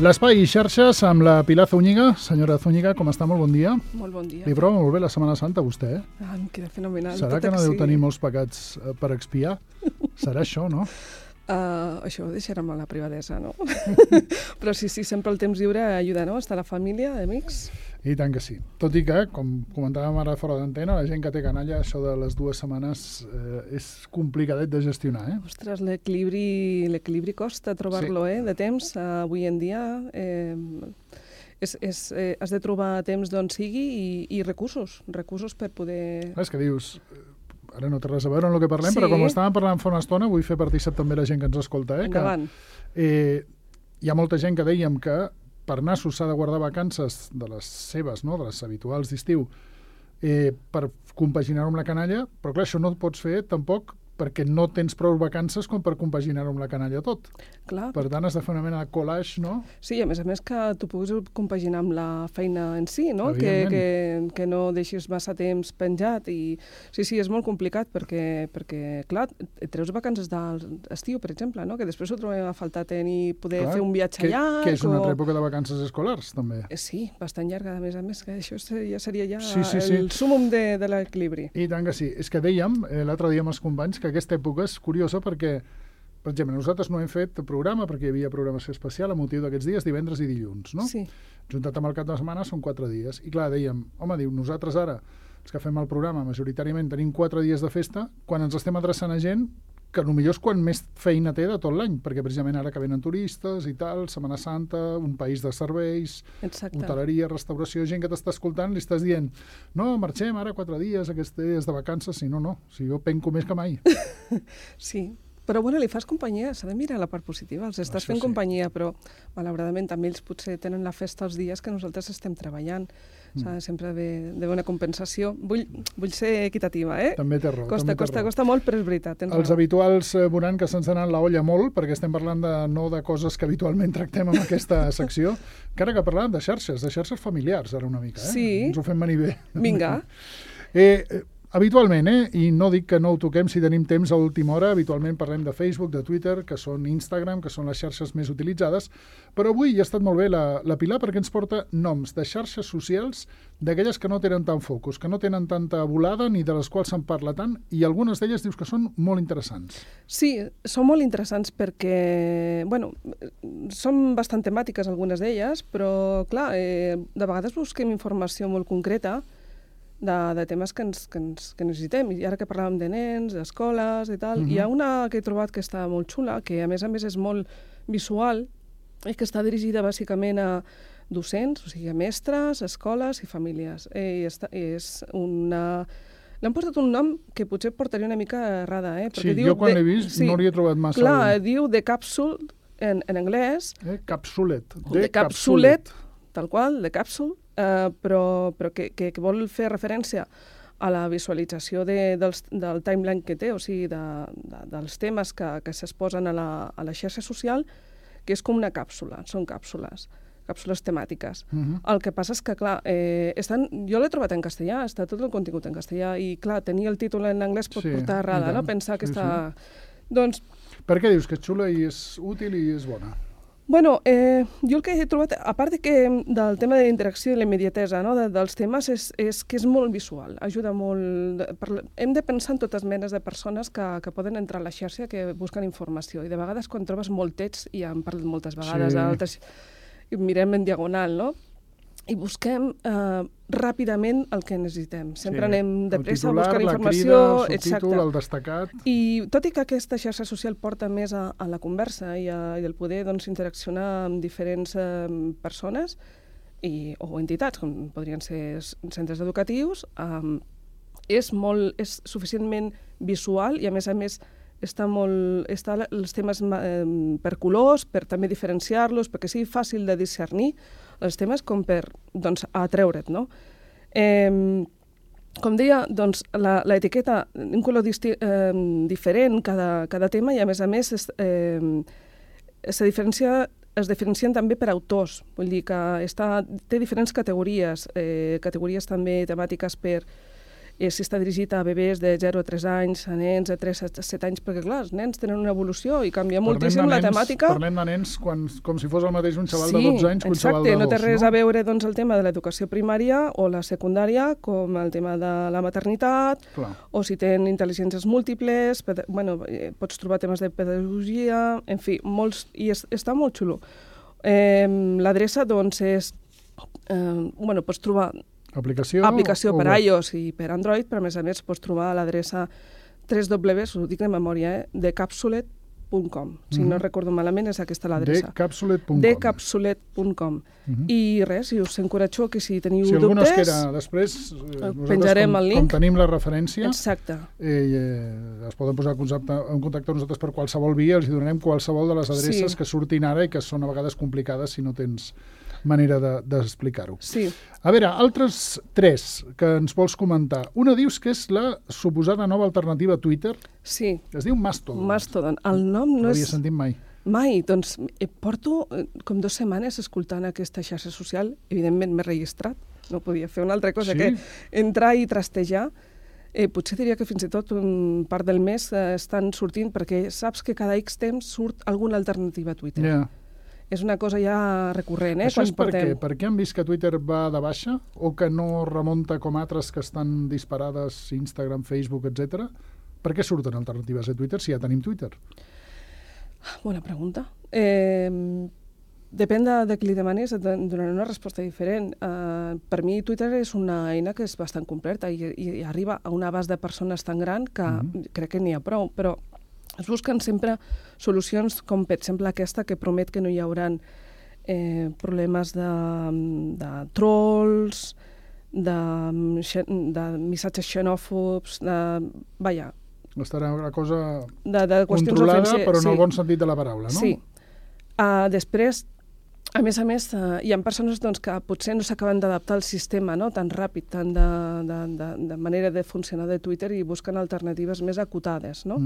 L'espai i xarxes amb la Pilar Zúñiga. Senyora Zúñiga, com està? Molt bon dia. Molt bon dia. Li prova molt bé la Setmana Santa, vostè, eh? Ah, em queda fenomenal. Serà que no deu tenir molts pecats per expiar? Serà això, no? Això ho deixarem a la privadesa, no? Però sí, sempre el temps lliure ajuda, no? Està la família, amics. I tant que sí. Tot i que, com comentàvem ara fora d'antena, la gent que té canalla, això de les 2 setmanes és complicadet de gestionar, eh? Ostres, l'equilibri costa trobar-lo, Sí. de temps. Avui en dia has de trobar temps d'on sigui i recursos per poder... És que dius... Ara no té res a veure amb el que parlem, Sí. però com estàvem parlant fa una estona, vull fer partícip també la gent que ens escolta, Endavant. que hi ha molta gent que dèiem que per nassos s'ha de guardar vacances de les seves, no?, de les habituals d'estiu, per compaginar-ho amb la canalla, però clar, això no ho pots fer tampoc perquè no tens prou vacances com per compaginar-ho amb la canalla tot. Clar. Per tant, has de fer una mena de collage, no? Sí, a més que tu puguis compaginar amb la feina en si, no? Que no deixis massa temps penjat. I sí, és molt complicat perquè clar, et treus vacances d'estiu, per exemple, no? Que després ho trobem a faltar tenir poder fer un viatge llarg. Que és una altra època de vacances escolars, també. Sí, bastant llarga, a més, que això ja seria Sí. el súmum de l'equilibri. I tant que sí. És que dèiem, l'altre dia amb els companys, que aquesta època és curiosa perquè, per exemple, nosaltres no hem fet programa perquè hi havia programació especial a motiu d'aquests dies, divendres i dilluns, no? Sí. Juntat amb el cap de setmana són 4 dies. I clar, dèiem, nosaltres ara, els que fem el programa, majoritàriament tenim 4 dies de festa, quan ens estem adreçant a gent que potser és quan més feina té de tot l'any, perquè precisament ara que venen turistes i tal, Setmana Santa, un país de serveis, Exacte. hoteleria, restauració, gent que t'està escoltant, li estàs dient, no, marxem ara 4 dies, aquests dies de vacances, si no, si jo penco més que mai. Sí, però bueno, li fas companyia, s'ha de mirar la part positiva, els estàs fent companyia, però malauradament també ells potser tenen la festa els dies que nosaltres estem treballant. Sempre d'haver una compensació. Vull ser equitativa, eh? També té raó. Costa molt, però és veritat. Els habituals veuran que se'ns ha anat la olla molt, perquè estem parlant no de coses que habitualment tractem en aquesta secció, que ara que parlàvem de xarxes familiars, ara una mica, eh? Sí. Ens ho fem venir bé. Vinga. Habitualment, i no dic que no ho toquem si tenim temps a última hora, habitualment parlem de Facebook, de Twitter, que són Instagram, que són les xarxes més utilitzades, però avui ha estat molt bé la Pilar perquè ens porta noms de xarxes socials d'aquelles que no tenen tant focus, que no tenen tanta volada ni de les quals se'n parla tant, i algunes d'elles dius que són molt interessants. Sí, són molt interessants perquè, són bastant temàtiques algunes d'elles, però clar, de vegades busquem informació molt concreta de temes que necessitem. I ara que parlàvem de nens, d'escoles i tal, hi ha una que he trobat que està molt xula, que a més és molt visual i que està dirigida bàsicament a docents, o sigui, a mestres, escoles i famílies. L'han posat un nom que potser portaria una mica errada, Sí, jo quan l'he vist no l'hi he trobat massa. Clar, diu The Capsule, en anglès. Capsulet. The Capsulet, tal qual, The Capsule, però que vol fer referència a la visualització del timeline que té, o sigui, dels temes que s'exposen a la xarxa social, que és com una càpsula, són càpsules temàtiques. El que passa és que, clar, jo l'he trobat en castellà, està tot el contingut en castellà, i, clar, tenir el títol en anglès pot portar errada, no? Pensar que està... Doncs... Per què dius que és xula i és útil i és bona? Jo el que he trobat, a part del tema de la interacció i la immediatesa, no, dels temes, és que és molt visual, ajuda molt... Hem de pensar en totes menes de persones que poden entrar a la xarxa, que busquen informació, i de vegades quan trobes molt text, i ja hem parlat moltes vegades, d'altres, i mirem en diagonal, no? I busquem ràpidament el que necessitem. Sempre anem de pressa a buscar informació. El titular, el subtítol, el destacat... I tot i que aquesta xarxa social porta més a la conversa i el poder interaccionar amb diferents persones o entitats, com podrien ser centres educatius, és suficientment visual i, a més, està els temes per colors, per també diferenciar-los, perquè sigui fàcil de discernir els temes com per atreure't, no? Com deia, l'etiqueta, un color diferent cada tema, i a més es diferencien també per autors, vull dir que té diferents categories també temàtiques per si està dirigit a bebès de 0 a 3 anys, a nens de 3 a 7 anys, perquè clar, els nens tenen una evolució i canvia moltíssim la temàtica. Parlem de nens com si fos el mateix un xaval de 12 anys que un xaval de 2. Sí, no té res a veure doncs, el tema de l'educació primària o la secundària com el tema de la maternitat, o si tenen intel·ligències múltiples, pots trobar temes de pedagogia, en fi, molts, i està molt xulo. L'adreça doncs és, pots trobar aplicació per iOS i per Android, però a més pots trobar a l'adreça www, ho dic de memòria, decapsulet.com. Si no recordo malament, és aquesta l'adreça. Decapsulet.com. I res, i us encoratjo que si teniu dubtes... Si algú no es queda després, penjarem el link. Com tenim la referència, exacte. Es poden posar en contacte amb nosaltres per qualsevol via, els donarem qualsevol de les adreces que surtin ara i que són a vegades complicades si no tens manera d'explicar-ho. Sí. A veure, altres 3 que ens vols comentar. Una dius que és la suposada nova alternativa a Twitter. Sí. Es diu Mastodon. Mastodon. El nom no és... No l'havia sentit mai. Mai. Doncs porto com 2 setmanes escoltant aquesta xarxa social. Evidentment m'he registrat. No podia fer una altra cosa que entrar i trastejar. Potser diria que fins i tot part del mes estan sortint, perquè saps que cada X temps surt alguna alternativa a Twitter. Ja. És una cosa ja recurrent. Això és per què? Per què han vist que Twitter va de baixa o que no remunta com altres que estan disparades, Instagram, Facebook, etc. Per què surten alternatives a Twitter si ja tenim Twitter? Bona pregunta. Depèn de qui li demanis, et donaré una resposta diferent. Per mi Twitter és una eina que és bastant completa i arriba a un abast de persones tan gran que crec que n'hi ha prou, però es busquen sempre solucions com, per exemple, aquesta que promet que no hi haurà problemes de trolls, de missatges xenòfobs, estarà una cosa controlada, però en el bon sentit de la paraula, no? Sí. Després, a més, hi ha persones que potser no s'acaben d'adaptar al sistema tan ràpid, tant de manera de funcionar de Twitter, i busquen alternatives més acotades, no?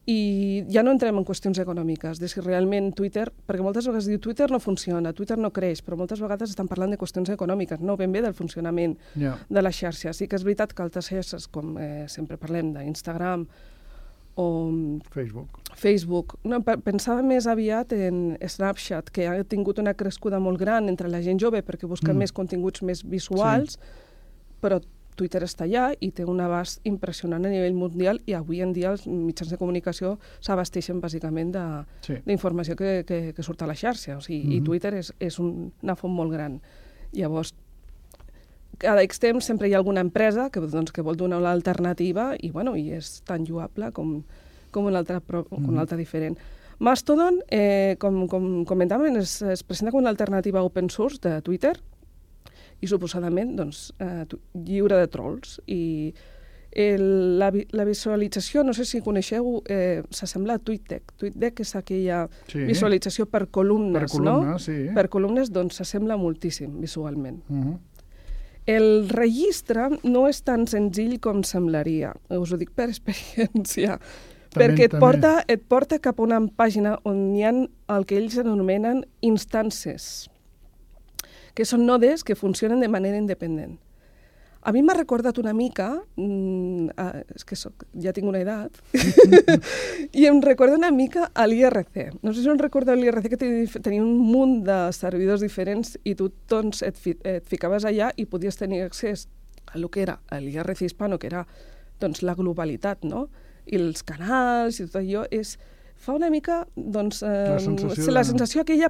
I ja no entrem en qüestions econòmiques, de si realment Twitter, perquè moltes vegades diu Twitter no funciona, Twitter no creix, però moltes vegades estan parlant de qüestions econòmiques, no ben bé del funcionament de la xarxa. Sí que és veritat que altres xarxes, com sempre parlem d'Instagram o Facebook. No, pensava més aviat en Snapchat, que ha tingut una crescuda molt gran entre la gent jove perquè busca més continguts més visuals, però Twitter està allà i té un abast impressionant a nivell mundial, i avui en dia els mitjans de comunicació s'abasteixen bàsicament d'informació que surt a la xarxa. O sigui, i Twitter és una font molt gran. Llavors, cada X temps sempre hi ha alguna empresa que vol donar una alternativa i és tan lloable com una altra diferent. Mastodon, com comentàvem, es presenta com una alternativa open source de Twitter, i suposadament lliure de trolls. I la visualització, no sé si coneixeu, s'assembla a TweetDeck. TweetDeck és aquella visualització per columnes, no? Per columnes, doncs s'assembla moltíssim visualment. El registre no és tan senzill com semblaria, us ho dic per experiència, perquè et porta cap a una pàgina on hi ha el que ells anomenen instàncies, que són nodes que funcionen de manera independent. A mi m'ha recordat una mica, és que ja tinc una edat, i em recorda una mica a l'IRC. No sé si em recorda l'IRC, que tenia un munt de servidors diferents i tu et ficaves allà i podies tenir accés a lo que era l'IRC hispano, que era la globalitat, no? I els canals i tot allò. Fa una mica la sensació aquella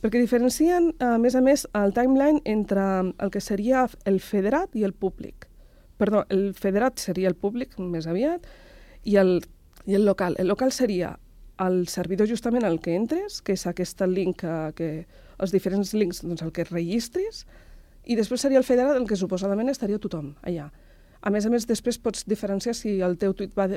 perquè diferencien, a més, el timeline entre el que seria el federat i el públic. Perdó, el federat seria el públic, més aviat, i el local. El local seria el servidor justament al que entres, que és aquest link, els diferents links el que registris, i després seria el federat el que suposadament estaria tothom allà. A més, després pots diferenciar si el teu tuit va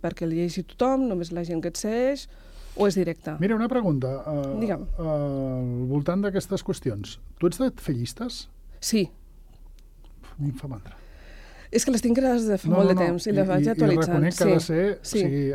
perquè el llegeixi tothom, només la gent que et segueix, o és directe. Mira, una pregunta. Digue'm. Al voltant d'aquestes qüestions, tu ets de fer llistes? Sí. A mi em fa mandra. És que les tinc creades de fa molt de temps i les vaig actualitzant. I reconec que ha de ser... O sigui,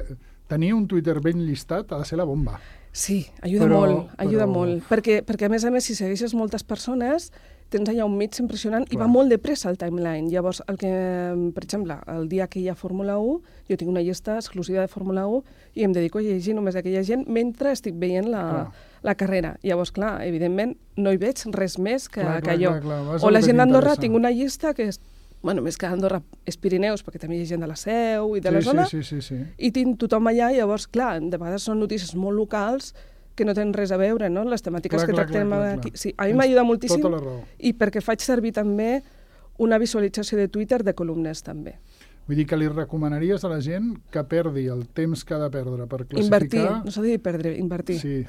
tenir un Twitter ben llistat ha de ser la bomba. Sí, ajuda molt. Perquè a més, si segueixes moltes persones, tens allà un mig impressionant i va molt de pressa el timeline. Llavors, per exemple, el dia que hi ha Fórmula 1, jo tinc una llista exclusiva de Fórmula 1 i em dedico a llegir només aquella gent mentre estic veient la carrera. Llavors, clar, evidentment, no hi veig res més que allò. O la gent d'Andorra, tinc una llista que és més que Andorra és Pirineus, perquè també hi ha gent de la Seu i de la zona, i tinc tothom allà, llavors, clar, de vegades són notícies molt locals que no tenen res a veure, no?, les temàtiques que tractem aquí. Sí, a mi m'ajuda moltíssim i perquè faig servir també una visualització de Twitter de columnes, també. Vull dir que li recomanaries a la gent que perdi el temps que ha de perdre per classificar... Invertir, no s'ha de dir perdre, invertir. Sí,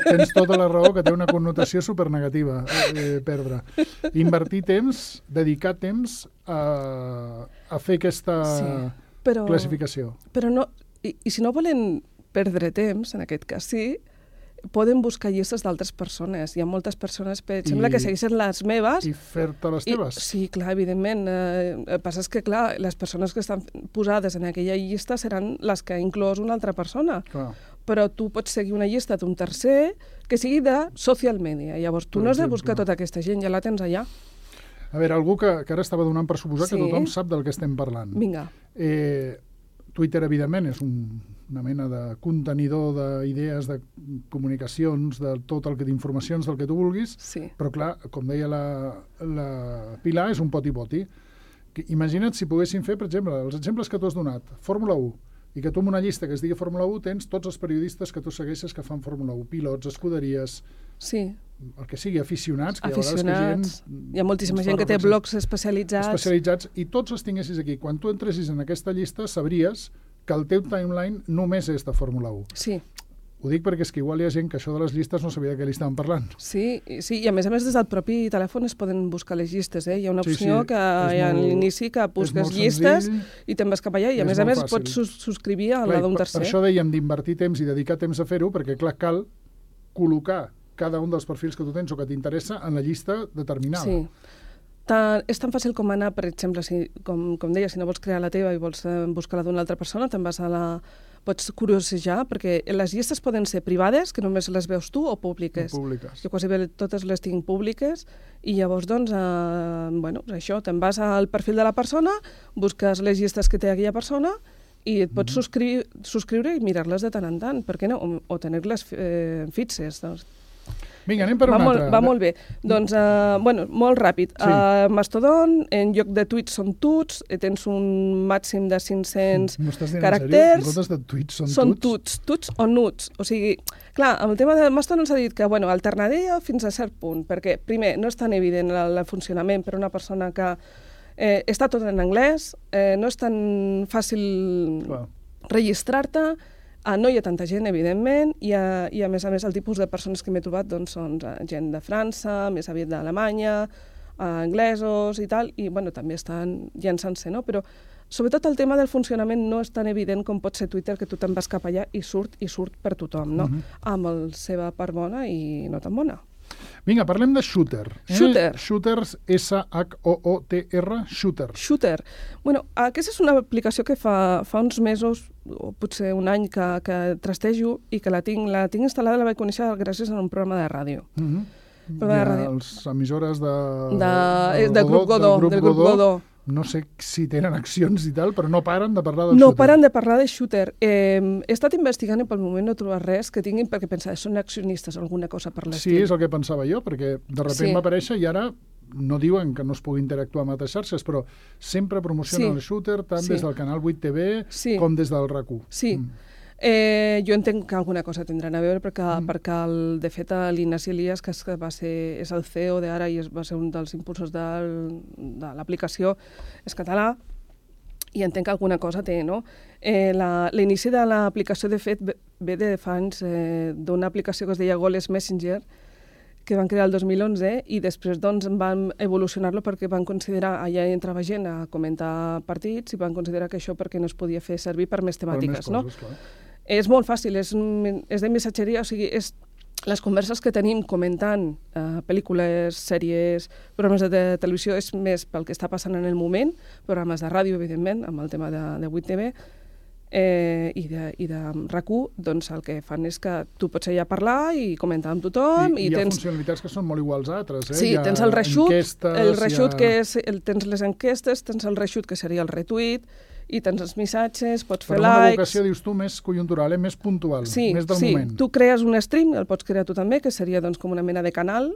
tens tota la raó, que té una connotació supernegativa, perdre. Invertir temps, dedicar temps a fer aquesta classificació. Però no, i si no volen perdre temps, en aquest cas sí, poden buscar llistes d'altres persones. Hi ha moltes persones, per exemple, que segueixen les meves... I fer-te les teves? Sí, clar, evidentment. El que passa és que, clar, les persones que estan posades en aquella llista seran les que ha inclòs una altra persona. Clar. Però tu pots seguir una llista d'un tercer que sigui de social media. Llavors, tu no has de buscar tota aquesta gent, ja la tens allà. A veure, algú que ara estava donant per suposar que tothom sap del que estem parlant. Vinga. Twitter, evidentment, és una mena de contenidor d'idees, de comunicacions, de tot el que d'informacions, del que tu vulguis, però clar, com deia la Pilar, és un poti-poti. Imagina't si poguessin fer, per exemple, els exemples que tu has donat, Fórmula 1, i que tu en una llista que es digui Fórmula 1 tens tots els periodistes que tu segueixes que fan Fórmula 1, pilots, escuderies, el que sigui, aficionats. Hi ha moltíssima gent que té blogs especialitzats. I tots els tinguessis aquí. Quan tu entressis en aquesta llista sabries que el teu timeline només és de Fórmula 1. Sí. Ho dic perquè és que igual hi ha gent que això de les llistes no sabia de què li estaven parlant. Sí, i a més des del propi telèfon es poden buscar les llistes. Hi ha una opció que hi ha a l'inici que busques llistes i te'n vas cap allà, i a més pots subscriure a la d'un tercer. Per això dèiem d'invertir temps i dedicar temps a fer-ho, perquè clar, cal col·locar cada un dels perfils que tu tens o que t'interessa en la llista determinada. Sí. És tan fàcil com anar, per exemple, com deia, si no vols crear la teva i vols buscar la d'una altra persona, te'n vas pots curiosejar, perquè les llistes poden ser privades, que només les veus tu, o públiques. Jo quasi bé totes les tinc públiques, i llavors, doncs, això, te'n vas al perfil de la persona, busques les llistes que té aquella persona, i et pots subscriure i mirar-les de tant en tant, per què no? O tenir-les fixes, doncs. Vinga, anem per una altra. Va molt bé. Doncs, molt ràpid. Mastodon, en lloc de tuits són tuts, tens un màxim de 500 caràcters. Nosaltres de tuits són tuts. Tuts o nuts. O sigui, clar, amb el tema de Mastodon s'ha dit que, alternaria fins a cert punt, perquè, primer, no és tan evident el funcionament per a una persona que està tot en anglès, no és tan fàcil registrar-te, no hi ha tanta gent, evidentment, i a més el tipus de persones que m'he trobat són gent de França, més aviat d'Alemanya, anglesos i tal, i també estan llançant-se, no? Però sobretot el tema del funcionament no és tan evident com pot ser Twitter, que tu te'n vas cap allà i surt per tothom, no? Amb la seva part bona i no tan bona. Vinga, parlem de Shooter. Shooters, S-H-O-O-T-R, Shooter. Shooter. Aquesta és una aplicació que fa uns mesos, o potser un any, que trastejo i que la tinc instal·lada, la vaig conèixer gràcies a un programa de ràdio. Les emissores del grup Godó. No sé si tenen accions i tal, però no paren de parlar del Shooter. No paren de parlar de Shooter. He estat investigant i pel moment no he trobat res que tinguin, perquè pensava, són accionistes o alguna cosa per l'estil. Sí, és el que pensava jo, perquè de sobte va aparèixer i ara no diuen que no es pugui interactuar amb altres xarxes, però sempre promocionen el Shooter, tant des del canal 8TV com des del RAC1. Sí. Jo entenc que alguna cosa tindran a veure perquè de fet l'Ignasi Elias, que és el CEO d'ara i va ser un dels impulsors de l'aplicació, és català, i entenc que alguna cosa té, no? L'inici de l'aplicació, de fet, ve de fa anys d'una aplicació que es deia Goles Messenger, que van crear el 2011, i després van evolucionar-lo perquè van considerar, allà entrava gent a comentar partits, i van considerar que això perquè no es podia fer servir per més temàtiques, no? És molt fàcil, és de missatgeria, o sigui, les converses que tenim comentant pel·lícules, sèries, programes de televisió, és més pel que està passant en el moment, programes de ràdio, evidentment, amb el tema de 8TV, i de RAC1, doncs el que fan és que tu pots allà parlar i comentar amb tothom. I hi ha funcionalitats que són molt iguals a altres. Sí, tens el reshoot, que és, tens les enquestes, tens el reshoot, que seria el retweet, i tens els missatges, pots fer likes... Però una vocació, dius tu, més conjuntural, més puntual, més del moment. Sí, tu crees un stream, el pots crear tu també, que seria doncs, com una mena de canal,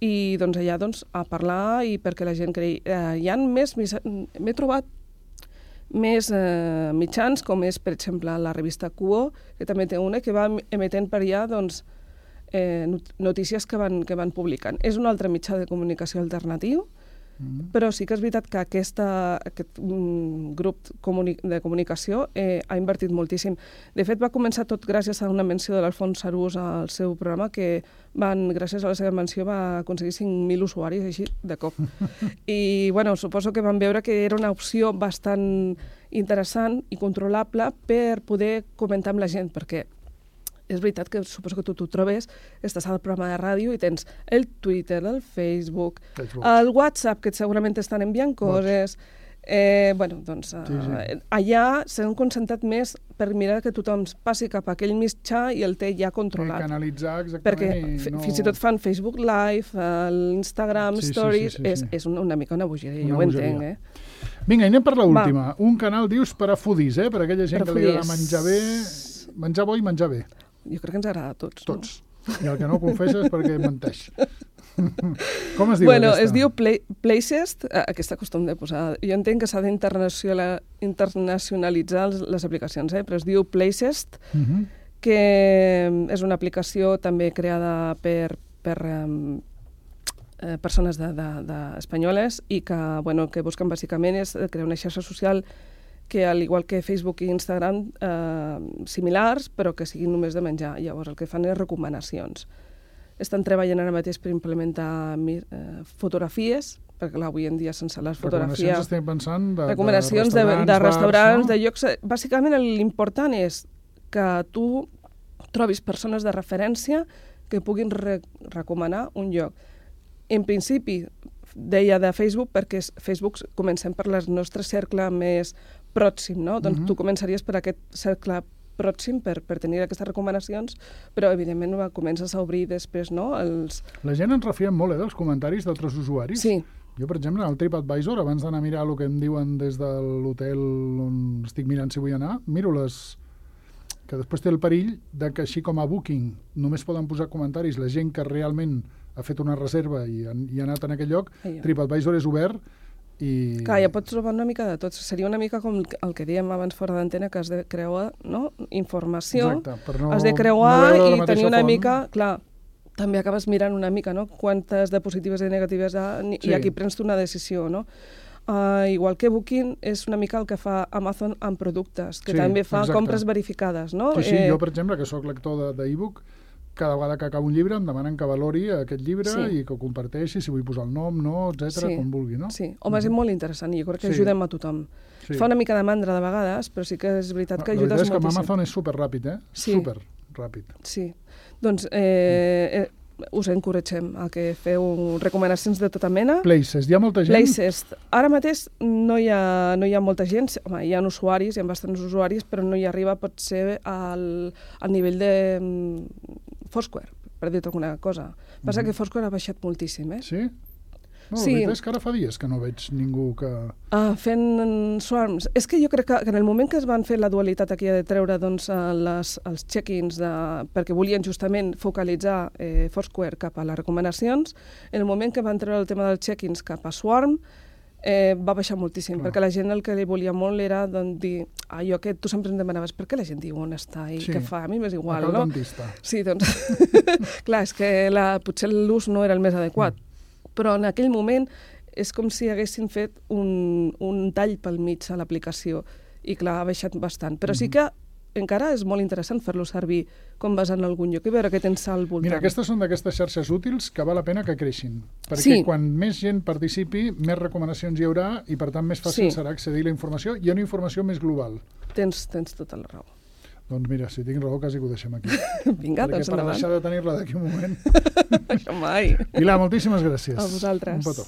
i doncs, allà a parlar i perquè la gent creï. Hi ha m'he trobat més mitjans, com és, per exemple, la revista Quo, que també té una, que va emetent per allà notícies que van publicant. És un altre mitjà de comunicació alternatiu, però sí que és veritat que aquest grup de comunicació ha invertit moltíssim. De fet, va començar tot gràcies a una menció de l'Alfons Arús al seu programa, que gràcies a la seva menció va aconseguir 5.000 usuaris així de cop. I suposo que van veure que era una opció bastant interessant i controlable per poder comentar amb la gent, perquè és veritat que suposo que tu t'ho trobes, estàs al programa de ràdio i tens el Twitter, el Facebook, el WhatsApp, que segurament t'estan enviant coses. Allà s'han concentrat més per mirar que tothom passi cap a aquell mitjà i el té ja controlat. Canalitzar, exactament. Perquè fins i tot fan Facebook Live, l'Instagram Stories, és una mica una bogeria, jo ho entenc. Vinga, anem per l'última. Un canal, dius, per a foodies, per a aquella gent que li agrada menjar bé, menjar bo i menjar bé. Jo crec que ens agrada a tots. Tots. I el que no confessa és perquè menteix. Com es diu aquesta? Es diu Placest, aquesta costum de posar... Jo entenc que s'ha d'internacionalitzar les aplicacions, però es diu Placest, que és una aplicació també creada per persones espanyoles i que busquen bàsicament és crear una xarxa social que, al igual que Facebook i Instagram, similars, però que siguin només de menjar. Llavors, el que fan és recomanacions. Estan treballant ara mateix per implementar fotografies, perquè avui en dia sense les fotografies... Recomanacions estem pensant recomanacions de restaurants, de llocs... Bàsicament, l'important és que tu trobis persones de referència que puguin recomanar un lloc. En principi, deia de Facebook, perquè Facebook comencem per el nostre cercle més pròxim, no? Doncs tu començaries per aquest cercle pròxim per tenir aquestes recomanacions, però evidentment comences a obrir després, no? La gent ens refiem molt dels comentaris d'altres usuaris. Sí. Jo, per exemple, al TripAdvisor, abans d'anar a mirar el que em diuen des de l'hotel on estic mirant si vull anar, miro que després té el perill de que, així com a Booking només poden posar comentaris la gent que realment ha fet una reserva i ha anat en aquell lloc, TripAdvisor és obert i... Clar, ja pots trobar una mica de tot. Seria una mica com el que dèiem abans fora d'antena, que has de creuar informació, has de creuar i tenir una mica... Clar, també acabes mirant una mica, no? Quantes de positives i negatives i aquí prens tu una decisió, no? Igual que Booking és una mica el que fa Amazon amb productes, que també fa compres verificades, no? Sí, jo, per exemple, que sóc lector d'e-book, cada vegada que acabo un llibre em demanen que valori aquest llibre i que ho comparteixi, si vull posar el nom, no, etc., com vulgui, no? Sí, home, és molt interessant i jo crec que ajudem a tothom. Fa una mica de mandra de vegades, però sí que és veritat que ajudes moltíssim. La veritat és que amb Amazon és superràpid, superràpid. Sí, doncs us encoratgem a que feu recomanacions de tota mena. Placest, hi ha molta gent? Placest. Ara mateix no hi ha molta gent, home, hi ha usuaris, hi ha bastants usuaris, però no hi arriba potser al nivell de Foursquare, per dir-te alguna cosa. Passa que Foursquare ha baixat moltíssim, Sí? No, la veritat és que ara fa dies que no veig ningú que... Fent swarms. És que jo crec que en el moment que es van fer la dualitat aquí de treure els check-ins perquè volien justament focalitzar Foursquare cap a les recomanacions, en el moment que van treure el tema dels check-ins cap a Swarm, va baixar moltíssim, perquè la gent el que li volia molt era dir allò que tu sempre em demanaves, per què la gent diu on està i què fa? A mi m'és igual, no? Dentista. Sí, doncs... Clar, és que potser l'ús no era el més adequat, però en aquell moment és com si haguessin fet un tall pel mig a l'aplicació i clar, ha baixat bastant. Però sí que encara és molt interessant fer-lo servir quan vas a algun lloc i veure què tens al voltant. Mira, aquestes són d'aquestes xarxes útils que val la pena que creixin, perquè quan més gent participi, més recomanacions hi haurà i per tant més fàcil serà accedir a la informació i a una informació més global. Tens tota la raó. Doncs mira, si tinc raó, quasi que ho deixem aquí. Vinga, doncs endavant. Per deixar de tenir-la d'aquí un moment. Això mai. Pilar, moltíssimes gràcies. A vosaltres. Un petó.